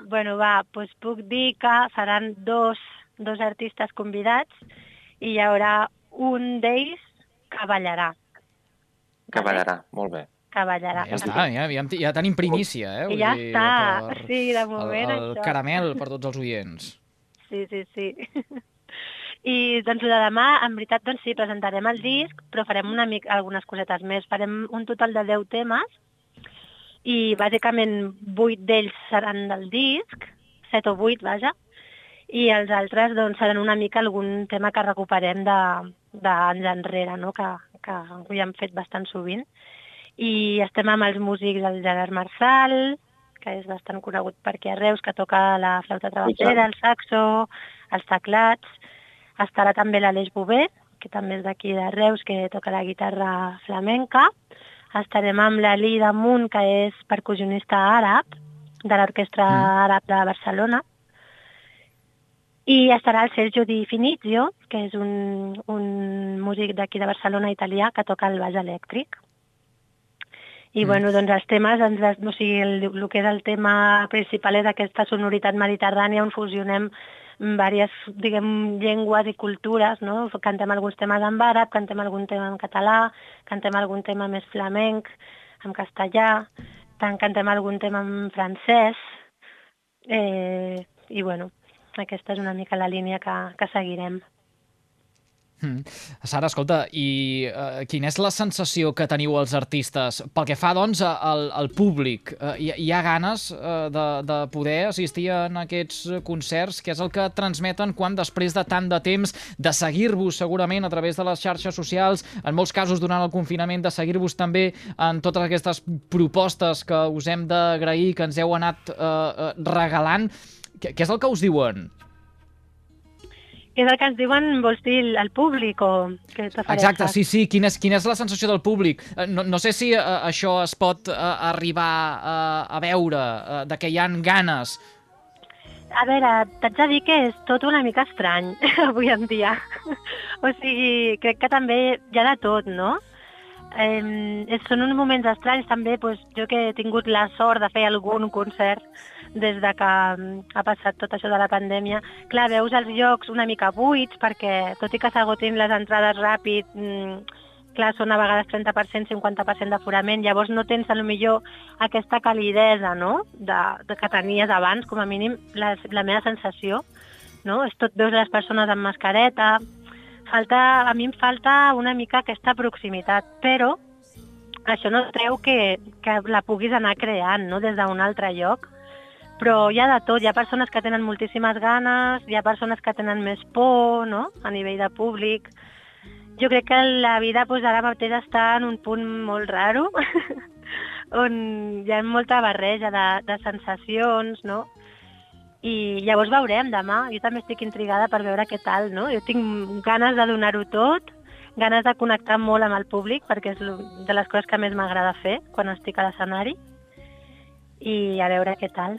Bueno, va, doncs puc dir que seran dos, dos artistes convidats i hi haurà un d'ells que ballarà. Que ballarà, molt bé. Que ballarà. Ja està, ja, ja, ja tenim primícia, eh? I ja dir, està, per, sí, de moment el, el això. caramel per tots els oients. Sí, sí, sí. I doncs el de demà, en veritat, doncs sí, presentarem el disc, però farem una mica, algunes cosetes més. Farem un total de deu temes i bàsicament vuit d'ells seran del disc, set o vuit, vaja, i els altres doncs seran una mica algun tema que recuperem d'anys enrere, no?, que, que ho hem fet bastant sovint. I estem amb els músics del Gerard Marçal, que és bastant conegut per aquí a Reus, que toca la flauta travessera, el saxo, els teclats. Estarà també l'Aleix Bové, que també és d'aquí de Reus, que toca la guitarra flamenca. Estarem amb la Lida Munt, que és percussionista àrab, de l'Orquestra mm. Àrab de Barcelona. I estarà el Sergio Di Finizio, que és un, un músic d'aquí de Barcelona, italià, que toca el baix elèctric. I, mm. bueno, doncs els temes, ens, o sigui, el, el que és el tema principal és aquesta sonoritat mediterrània on fusionem diverses, diguem, llengües i cultures, no? Cantem alguns temes en àrab, cantem algun tema en català, cantem algun tema més flamenc, en castellà, tant cantem algun tema en francès, eh, i, bueno, aquesta és una mica la línia que, que seguirem. Mm. Sara, escolta, i uh, quina és la sensació que teniu els artistes? Pel que fa, doncs, al, al públic, uh, hi, hi ha ganes uh, de, de poder assistir en aquests concerts, que és el que transmeten quan després de tant de temps, de seguir-vos segurament a través de les xarxes socials, en molts casos durant el confinament, de seguir-vos també en totes aquestes propostes que us hem d'agrair, que ens heu anat uh, regalant. Què, què és el que us diuen? Què és el que ens diuen, vols dir, el públic o què t'ofereixes? Exacte, sí, sí. Quina és, quina és la sensació del públic? No, no sé si uh, això es pot uh, arribar uh, a veure, uh, de que hi han ganes. A veure, t'haig de dir que és tot una mica estrany avui en dia. O sigui, crec que també hi ha de tot, no? Eh, són uns moments estranys també, doncs, jo que he tingut la sort de fer algun concert des de que ha passat tot això de la pandèmia. Clar, veus els llocs una mica buits perquè, tot i que s'agotin les entrades ràpid, mmm, clar, són a vegades trenta per cent, cinquanta per cent d'aforament, llavors no tens, potser aquesta calidesa, no?, de, de que tenies abans, com a mínim, la, la meva sensació, no? És tot, veus les persones amb mascareta, falta, a mi em falta una mica aquesta proximitat, però això no treu que, que la puguis anar creant, no?, des d'un altre lloc. Però hi ha de tot, hi ha persones que tenen moltíssimes ganes, hi ha persones que tenen més por, no?, a nivell de públic. Jo crec que la vida doncs, ara mateix està en un punt molt raro, on hi ha molta barreja de, de sensacions, no? I llavors veurem demà. Jo també estic intrigada per veure què tal, no? Jo tinc ganes de donar-ho tot, ganes de connectar molt amb el públic, perquè és de les coses que més m'agrada fer quan estic a l'escenari, i a veure què tal.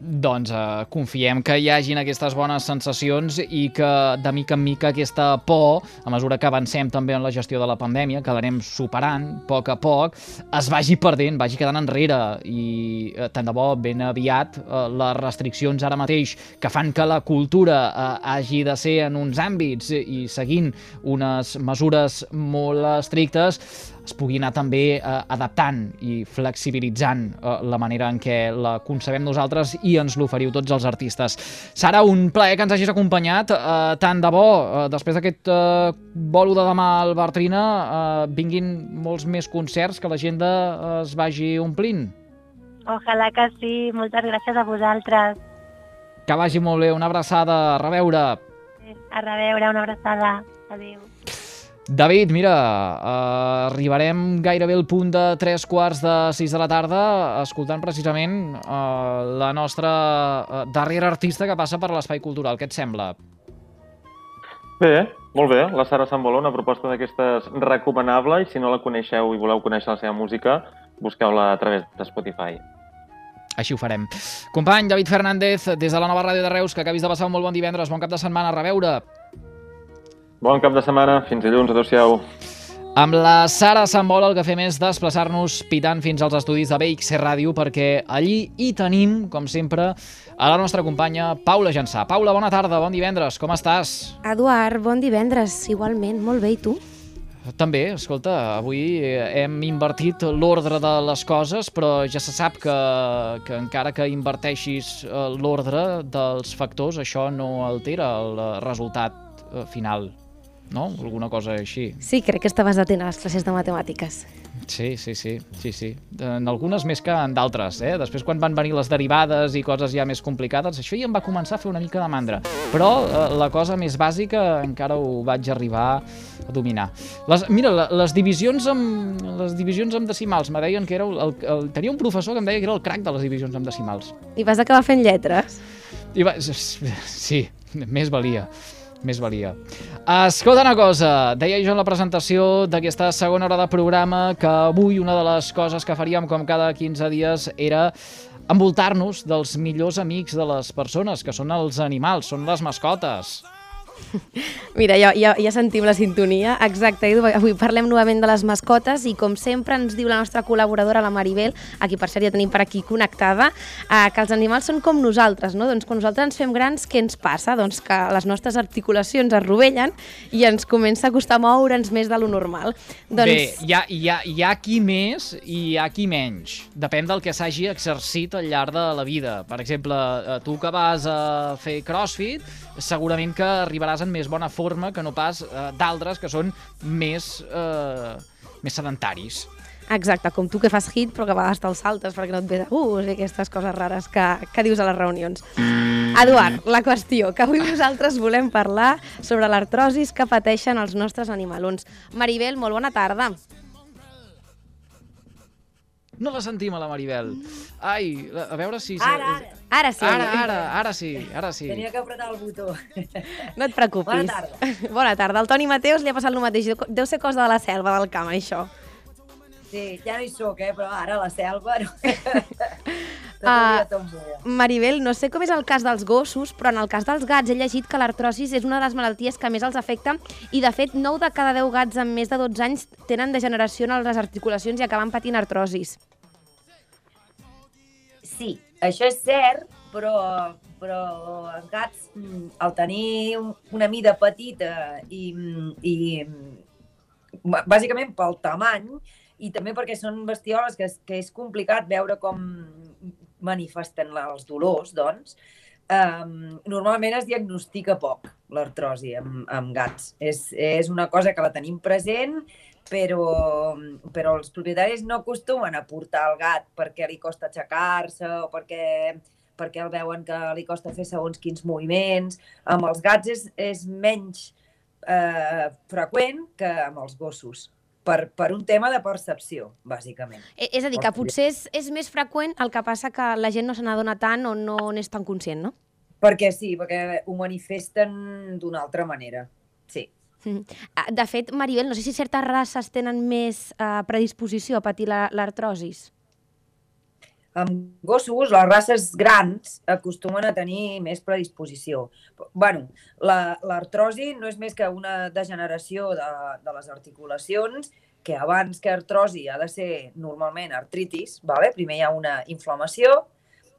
Doncs eh, confiem que hi hagin aquestes bones sensacions i que de mica en mica aquesta por, a mesura que avancem també en la gestió de la pandèmia, que l'anem superant a poc a poc, es vagi perdent, vagi quedant enrere i eh, tant de bo ben aviat eh, les restriccions ara mateix que fan que la cultura eh, hagi de ser en uns àmbits i seguint unes mesures molt estrictes es pugui anar també eh, adaptant i flexibilitzant eh, la manera en què la concebem nosaltres i ens l'oferiu tots els artistes. Sara, un plaer que ens hagis acompanyat. Eh, tant de bo, eh, després d'aquest eh, bolo de demà al Bartrina, eh, vinguin molts més concerts, que l'agenda eh, es vagi omplint. Ojalà que sí. Moltes gràcies a vosaltres. Que vagi molt bé. Una abraçada. A reveure. A reveure. Una abraçada. Adéu. David, mira, eh, arribarem gairebé al punt de tres quarts de sis de la tarda escoltant precisament eh, la nostra eh, darrera artista que passa per l'Espai Cultural. Què et sembla? Bé, molt bé. La Sara Samboló, una proposta d'aquestes recomanable, i si no la coneixeu i voleu conèixer la seva música, busqueu-la a través de Spotify. Així ho farem. Company David Fernández, des de la nova ràdio de Reus, que acabis de passar un molt bon divendres, bon cap de setmana, a reveure. Bon cap de setmana, fins dilluns, adéu-siau. Amb la Sara Sambola el que fem és desplaçar-nos pitant fins als estudis de B X C Ràdio, perquè allí hi tenim, com sempre, a la nostra companya Paula Jansà. Paula, bona tarda, bon divendres, com estàs? Eduard, bon divendres, igualment, molt bé, i tu? També, escolta, avui hem invertit l'ordre de les coses, però ja se sap que, que encara que inverteixis l'ordre dels factors, això no altera el resultat final. No? Alguna cosa així. Sí, crec que estaves atent a les classes de matemàtiques. Sí, sí, sí, sí, sí. En algunes més que en d'altres, eh? Després, quan van venir les derivades i coses ja més complicades, això ja em va començar a fer una mica de mandra. Però eh, la cosa més bàsica encara ho vaig arribar a dominar. Les, mira, les divisions amb, les divisions amb decimals, me deien que era el, el, el, tenia un professor que em deia que era el crac de les divisions amb decimals. I vas acabar fent lletres? I va, sí, més valia. Més valia. Escolta una cosa, deia jo en la presentació d'aquesta segona hora de programa que avui una de les coses que faríem com cada quinze dies era envoltar-nos dels millors amics de les persones, que són els animals, són les mascotes. Mira, ja, ja, ja sentim la sintonia. Exacte, Edu, avui parlem novament de les mascotes i com sempre ens diu la nostra col·laboradora, la Maribel, a qui per cert ja tenim per aquí connectada, eh, que els animals són com nosaltres, no? Doncs quan nosaltres ens fem grans, què ens passa? Doncs que les nostres articulacions es rovellen i ens comença a costar moure'ns més de lo normal. Doncs... Bé, hi ha, hi, ha, hi ha qui més i hi ha qui menys. Depèn del que s'hagi exercit al llarg de la vida. Per exemple, tu que vas a fer crossfit, segurament que arribaràs arribaràs en més bona forma que no pas eh, d'altres que són més, eh, més sedentaris. Exacte, com tu que fas hit però que a vegades te'l saltes perquè no et ve de gust i aquestes coses rares que, que dius a les reunions. Eduard, la qüestió, que avui nosaltres volem parlar sobre l'artrosis que pateixen els nostres animalons. Maribel, molt bona tarda. No la sentim, a la Maribel. Ai, a veure si... Ara, ara. Ara sí. Ara, ara, ara sí, ara sí. Tenia que apretar el botó. No et preocupis. Bona tarda. Bona tarda. Al Toni Mateus li ha passat el mateix. Deu ser cosa de la selva, del camp, això. Sí, ja no hi soc, eh, però ara a la selva... No. Uh, Maribel, no sé com és el cas dels gossos, però en el cas dels gats he llegit que l'artrosis és una de les malalties que més els afecta i, de fet, nou de cada deu gats amb més de dotze anys tenen degeneració en les articulacions i acaben patint artrosis. Sí, això és cert, però, però els gats, al tenir una mida petita i, i bàsicament pel tamany, i també perquè són bestioles que és, que és complicat veure com manifesten els dolors, doncs, um, normalment es diagnostica poc l'artrosi amb, amb gats. És, és una cosa que la tenim present, però, però els propietaris no acostumen a portar el gat perquè li costa aixecar-se o perquè, perquè el veuen que li costa fer segons quins moviments. Amb els gats és, és menys eh, freqüent que amb els gossos. Per, per un tema de percepció, bàsicament. És a dir, que potser és, és més freqüent, el que passa que la gent no se n'adona tant o no n'és tan conscient, no? Perquè sí, perquè ho manifesten d'una altra manera, sí. De fet, Maribel, no sé si certes races tenen més eh, predisposició a patir l'artrosis. Amb gossos, les races grans acostumen a tenir més predisposició. Bueno, l'artrosi la, no és més que una degeneració de, de les articulacions, que abans que artrosi ha de ser normalment artritis, vale? Primer hi ha una inflamació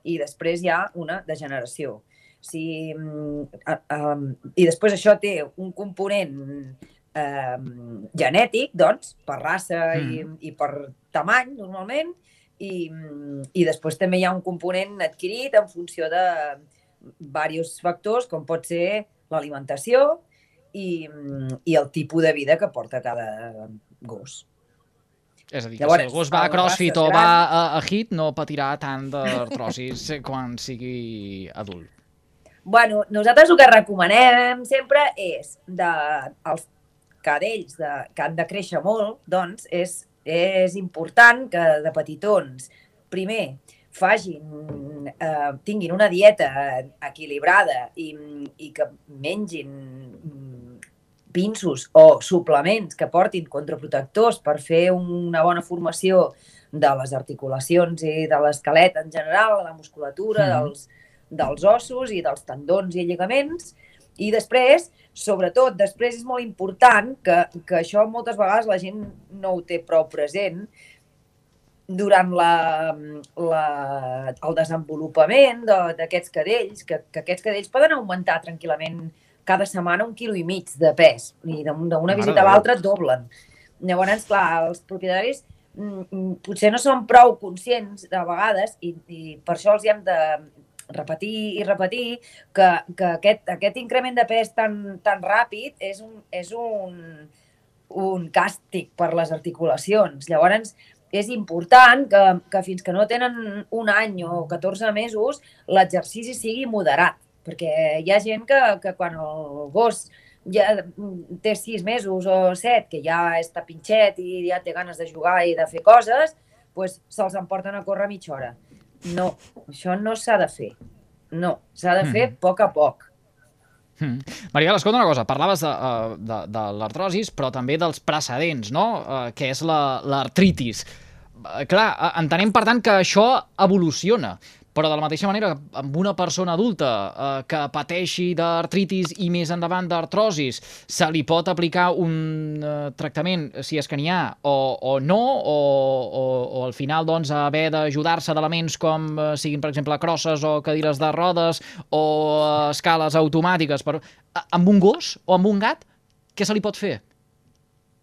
i després hi ha una degeneració. Si, uh, um, I després això té un component uh, genètic, doncs, per raça mm. i, i per tamany, normalment, I, i després també hi ha un component adquirit en funció de diversos factors, com pot ser l'alimentació i, i el tipus de vida que porta cada gos. És a dir, que Llavors, si el gos va a CrossFit o va a, a HIIT no patirà tant d'artrosis quan sigui adult. Bueno, nosaltres el que recomanem sempre és de, els cadells de, que han de créixer molt, doncs, és és important que de petitons, primer, facin, eh, tinguin una dieta equilibrada i, i que mengin pinsos o suplements que portin contraprotectors per fer una bona formació de les articulacions i de l'esquelet en general, de la musculatura, mm. dels, dels ossos i dels tendons i lligaments. I després, sobretot, després és molt important que, que això moltes vegades la gent no ho té prou present durant la, la, el desenvolupament d'aquests cadells, que, que aquests cadells poden augmentar tranquil·lament cada setmana un quilo i mig de pes i d'una visita a l'altra doblen. Llavors, clar, els propietaris mm, potser no són prou conscients de vegades i, i per això els hi hem de repetir i repetir que, que aquest, aquest increment de pes tan, tan ràpid és, un, és un, un càstig per les articulacions. Llavors, és important que, que fins que no tenen un any o catorze mesos l'exercici sigui moderat, perquè hi ha gent que, que quan el gos ja té sis mesos o set, que ja està pinxet i ja té ganes de jugar i de fer coses, doncs se'ls emporten a córrer mitja hora. No, això no s'ha de fer. No, s'ha de fer mm. a poc a poc. Mm. Maribel, escolta una cosa, parlaves de, de, de l'artrosis, però també dels precedents, no? Uh, que és l'artritis. La, clar, entenem, per tant, que això evoluciona, però de la mateixa manera, amb una persona adulta eh, que pateixi d'artritis i més endavant d'artrosis, se li pot aplicar un eh, tractament, si és que n'hi ha, o, o no, o, o, o al final doncs, haver d'ajudar-se d'elements com eh, siguin, per exemple, crosses o cadires de rodes o eh, escales automàtiques. Per... Amb un gos o amb un gat, què se li pot fer?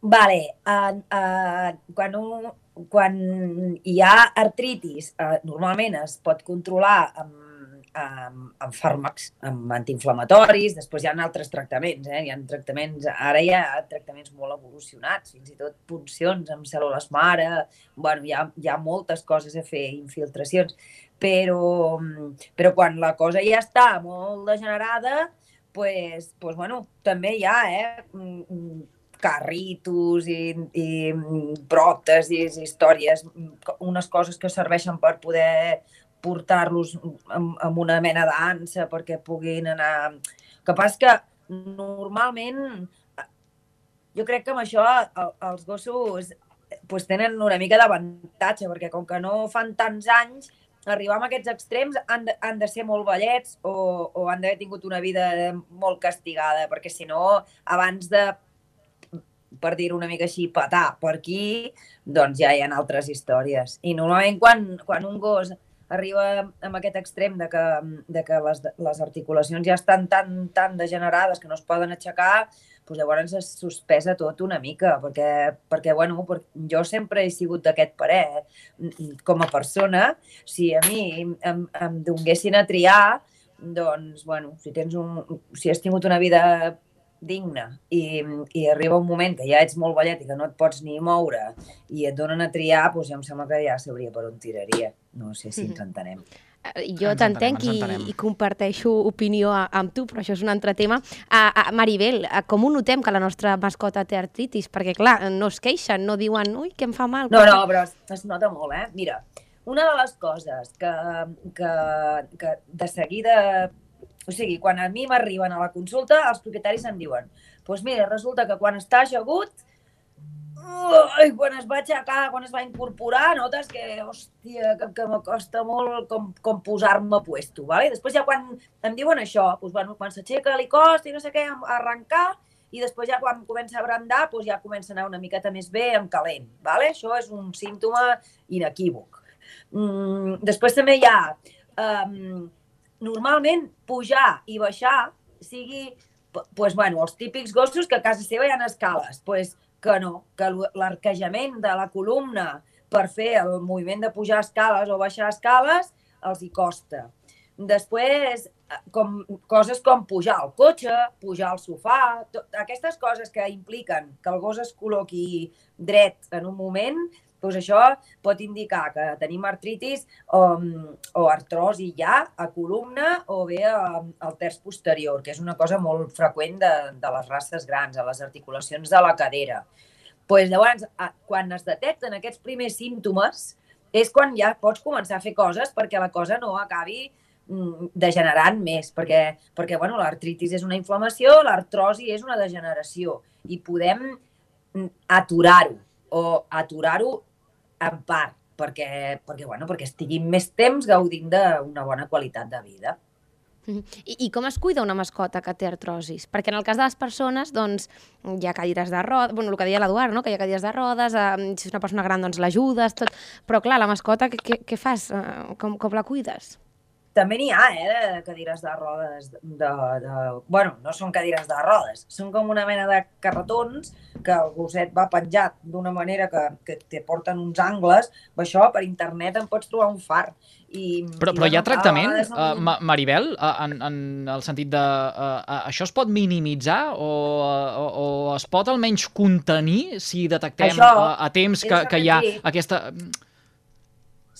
Vale, uh, uh, quan un... Quan hi ha artritis, eh, normalment es pot controlar amb, amb, amb fàrmacs, amb antiinflamatoris, després hi ha altres tractaments, eh? Hi ha tractaments, ara hi ha tractaments molt evolucionats, fins i tot puncions amb cèl·lules mare, bueno, hi ha, hi ha moltes coses a fer, infiltracions, però, però quan la cosa ja està molt degenerada, pues, pues, bueno, també hi ha, eh? carritos i, i pròtesis, històries, unes coses que serveixen per poder portar-los amb, amb una mena d'ansa perquè puguin anar... El que passa que normalment jo crec que amb això els gossos pues, tenen una mica d'avantatge perquè com que no fan tants anys, arribar a aquests extrems han de, han de ser molt vellets o, o han d'haver tingut una vida molt castigada, perquè si no, abans de per dir-ho una mica així, petar per aquí, doncs ja hi ha altres històries. I normalment quan, quan un gos arriba a aquest extrem de que, de que les, les articulacions ja estan tan, tan degenerades que no es poden aixecar, doncs llavors es sospesa tot una mica, perquè, perquè bueno, jo sempre he sigut d'aquest parer. Com a persona, si a mi em, em donguessin a triar, doncs, bueno, si, tens un, si has tingut una vida digna i, i arriba un moment que ja ets molt vellet i que no et pots ni moure i et donen a triar, doncs ja em sembla que ja sabria per on tiraria. No sé si ens entenem. Jo t'entenc i, i comparteixo opinió amb tu, però això és un altre tema. A, a Maribel, a com ho notem que la nostra mascota té artritis? Perquè, clar, no es queixen, no diuen, ui, que em fa mal. No, no, però es, es nota molt, eh? Mira, una de les coses que, que, que de seguida... O sigui, quan a mi m'arriben a la consulta, els propietaris em diuen doncs mira, resulta que quan està ajagut, uh, quan es va aixecar, quan es va incorporar, notes que, hòstia, que, que m'acosta molt com, com posar-me a puesto, ¿vale? Després ja quan em diuen això, doncs, bueno, quan s'aixeca li costa i no sé què, arrencar, i després ja quan comença a brandar, doncs ja comença a anar una miqueta més bé en calent, ¿vale? Això és un símptoma inequívoc. Mm, després també hi ha... Um, normalment pujar i baixar sigui, pues, bueno, els típics gossos que a casa seva hi ha escales, pues, que no, que l'arquejament de la columna per fer el moviment de pujar escales o baixar escales els hi costa. Després, com, coses com pujar al cotxe, pujar al sofà, tot, aquestes coses que impliquen que el gos es col·loqui dret en un moment, doncs això pot indicar que tenim artritis o, o artrosi ja a columna o bé al terç posterior, que és una cosa molt freqüent de, de les races grans, a les articulacions de la cadera. Pues llavors, quan es detecten aquests primers símptomes, és quan ja pots començar a fer coses perquè la cosa no acabi degenerant més, perquè, perquè bueno, l'artritis és una inflamació, l'artrosi és una degeneració i podem aturar-ho o aturar-ho en part, perquè, perquè, bueno, perquè estiguin més temps gaudint d'una bona qualitat de vida. I, I com es cuida una mascota que té artrosis? Perquè en el cas de les persones, doncs, hi ha cadires de rodes, bueno, el que deia l'Eduard, no? Que hi ha cadires de rodes, eh, si és una persona gran, doncs l'ajudes, tot. Però clar, la mascota, què, què fas? Com, com la cuides? També n'hi ha, eh, de cadires de rodes, de, de... Bueno, no són cadires de rodes, són com una mena de carretons que el gosset va penjat d'una manera que, que te porten uns angles, això per internet en pots trobar un far. I, però, i però hi ha tractament, no... uh, Maribel, uh, en, en el sentit de... Uh, uh, això es pot minimitzar o, o, o es pot almenys contenir si detectem això, uh, a temps que, que hi ha aquesta...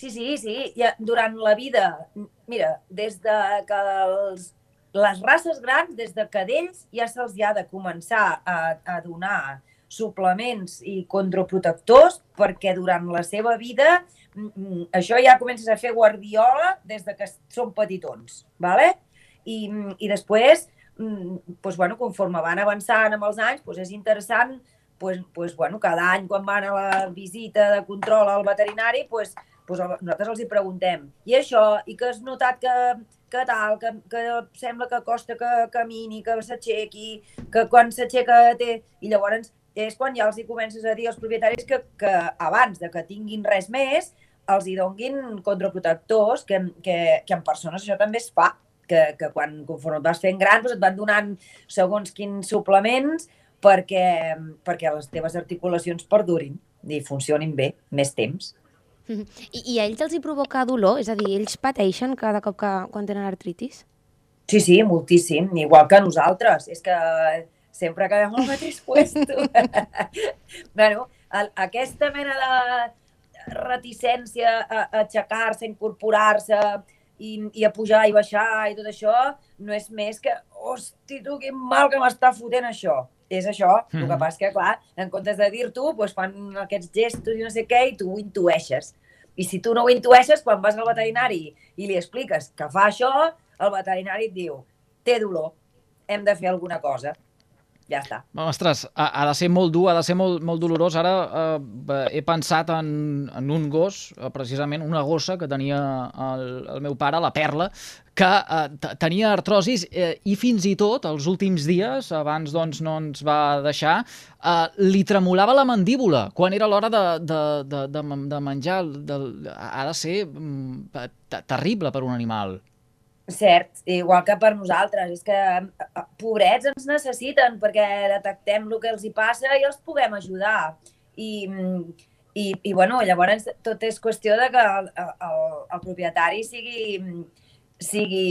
Sí, sí, sí. Ja, durant la vida, mira, des de que els, les races grans, des de cadells, ja se'ls ha de començar a, a donar suplements i controprotectors perquè durant la seva vida això ja comences a fer guardiola des de que són petitons, ¿vale? I, i després, doncs, bueno, conforme van avançant amb els anys, doncs és interessant, doncs, doncs, bueno, cada any quan van a la visita de control al veterinari, doncs, doncs nosaltres els hi preguntem, i això, i que has notat que, que tal, que, que sembla que costa que camini, que s'aixequi, que quan s'aixeca té... I llavors és quan ja els hi comences a dir als propietaris que, que abans de que tinguin res més, els hi donguin contraprotectors, que, que, que en persones això també es fa, que, que quan conforme et vas fent gran doncs et van donant segons quins suplements perquè, perquè les teves articulacions perdurin i funcionin bé més temps. I, I a ells els hi provoca dolor? És a dir, ells pateixen cada cop que quan tenen artritis? Sí, sí, moltíssim, igual que nosaltres. És que sempre acabem al mateix puesto. Bueno, el, aquesta mena de reticència a, a aixecar-se, a incorporar-se i, i a pujar i baixar i tot això, no és més que, hosti, tu, quin mal que m'està fotent això. És això, mm. el que passa que, clar, en comptes de dir-t'ho, doncs fan aquests gestos i no sé què, i tu ho intueixes. I si tu no ho intueixes, quan vas al veterinari i li expliques que fa això, el veterinari et diu, té dolor, hem de fer alguna cosa. Ja està. Ostres, ha, ha de ser molt dur, ha de ser molt, molt dolorós. Ara eh, he pensat en, en un gos, precisament una gossa que tenia el, el meu pare, la Perla, que eh, tenia artrosis eh, i fins i tot els últims dies, abans doncs, no ens va deixar, eh, li tremolava la mandíbula quan era l'hora de, de, de, de, de menjar. De, ha de ser mm, terrible per un animal. Cert, igual que per nosaltres. És que pobrets ens necessiten perquè detectem el que els hi passa i els puguem ajudar. I, i, i bueno, llavors tot és qüestió de que el, el, el propietari sigui, sigui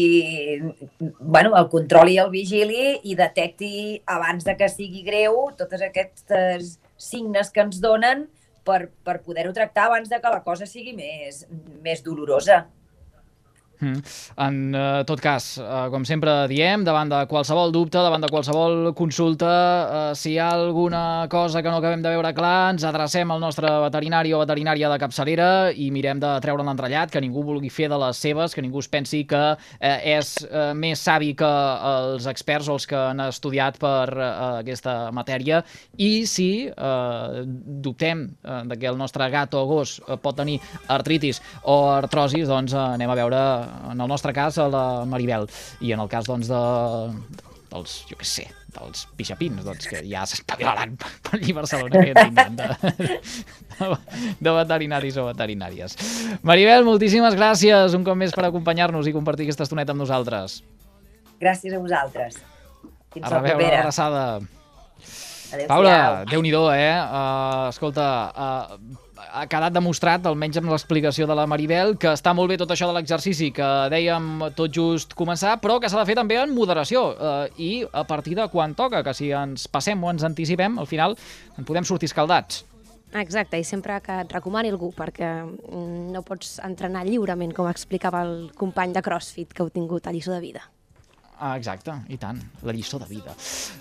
bueno, el controli i el vigili i detecti abans de que sigui greu tots aquests signes que ens donen per, per poder-ho tractar abans de que la cosa sigui més, més dolorosa. Mm. En uh, tot cas, uh, com sempre diem, davant de qualsevol dubte, davant de qualsevol consulta, uh, si hi ha alguna cosa que no acabem de veure clar, ens adrecem al nostre veterinari o veterinària de capçalera i mirem de treure l'entrellat, que ningú vulgui fer de les seves, que ningú es pensi que uh, és uh, més savi que els experts o els que han estudiat per uh, aquesta matèria. I si uh, dubtem uh, de que el nostre gat o gos uh, pot tenir artritis o artrosis, doncs uh, anem a veure, en el nostre cas, a la Maribel, i en el cas, doncs, de, dels, jo què sé, dels pixapins, doncs, que ja s'espavilaran per allí a Barcelona, que tindran de, de, de veterinaris o veterinàries. Maribel, moltíssimes gràcies un cop més per acompanyar-nos i compartir aquesta estoneta amb nosaltres. Gràcies a vosaltres. Fins a la propera. Una abraçada. Adéu-siau. Paula, Déu-n'hi-do, eh? Uh, escolta, uh, ha quedat demostrat, almenys amb l'explicació de la Maribel, que està molt bé tot això de l'exercici que dèiem tot just començar, però que s'ha de fer també en moderació eh, i a partir de quan toca, que si ens passem o ens anticipem, al final en podem sortir escaldats. Exacte, i sempre que et recomani algú, perquè no pots entrenar lliurement, com explicava el company de CrossFit que heu tingut a Lliçó de Vida. Ah, exacte, i tant, la lliçó de vida.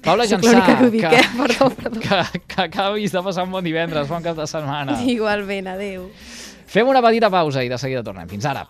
Paula Soc Jansà, que, dic, que, eh? perdó, perdó. que, que acabis de passar un bon divendres, bon cap de setmana. Igualment, adéu. Fem una petita pausa i de seguida tornem. Fins ara.